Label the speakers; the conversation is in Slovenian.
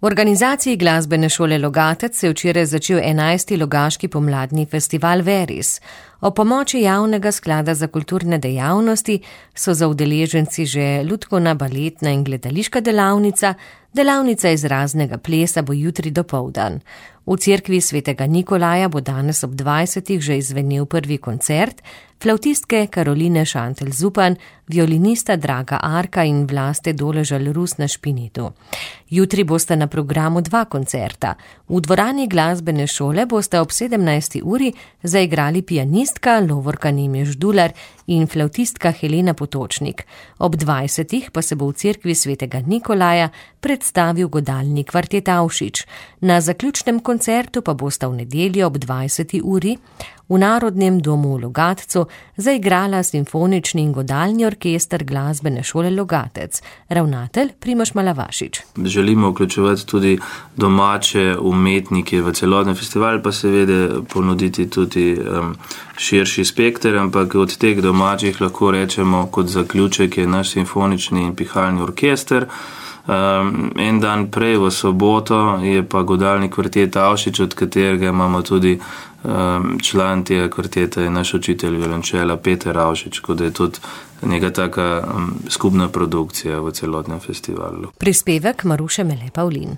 Speaker 1: V organizaciji Glasbene šole Logatec se je včeraj začel 11. Logaški pomladni festival Veris. O pomoči Javnega sklada za kulturne dejavnosti so za udeleženci že lutkovna, baletna in gledališka delavnica, delavnica izraznega plesa bo jutri dopoldan. V cerkvi svetega Nikolaja bo danes ob 20. že izvenel prvi koncert, flavtistke Karoline Šantelj-Zupan, violinista Draga Arka in Vlaste Doležal-Rus na špinitu. Jutri bosta na programu 2 koncerta. V dvorani Glasbene šole bosta ob 17. uri zaigrali pianistka Lovorka Nemeš-Dular in flavtistka Helena Potočnik. Ob 20. pa se bo v cerkvi svetega Nikolaja predstavil godalni kvartet Avšič. Na zaključnem koncertu pa bosta v nedeljo ob 20. uri v Narodnem domu v Logatcu zaigrala simfonični in godalni orkester Glasbene šole Logatec. Ravnatelj Primož Malavašič.
Speaker 2: Želimo vključevati tudi domače umetnike v celotni festival, pa seveda ponuditi tudi širši spekter, ampak od teh domačih lahko rečemo kot zaključek je naš simfonični in pihalni orkester. En dan prej v soboto je pa godalni kvartet Avšič, od katerega imamo tudi član tega kvarteta je naš učitelj violončela Peter Avšič, kot je tudi neka taka skupna produkcija v celotnem festivalu.
Speaker 1: Prispevek Maruše Mele Pavlin.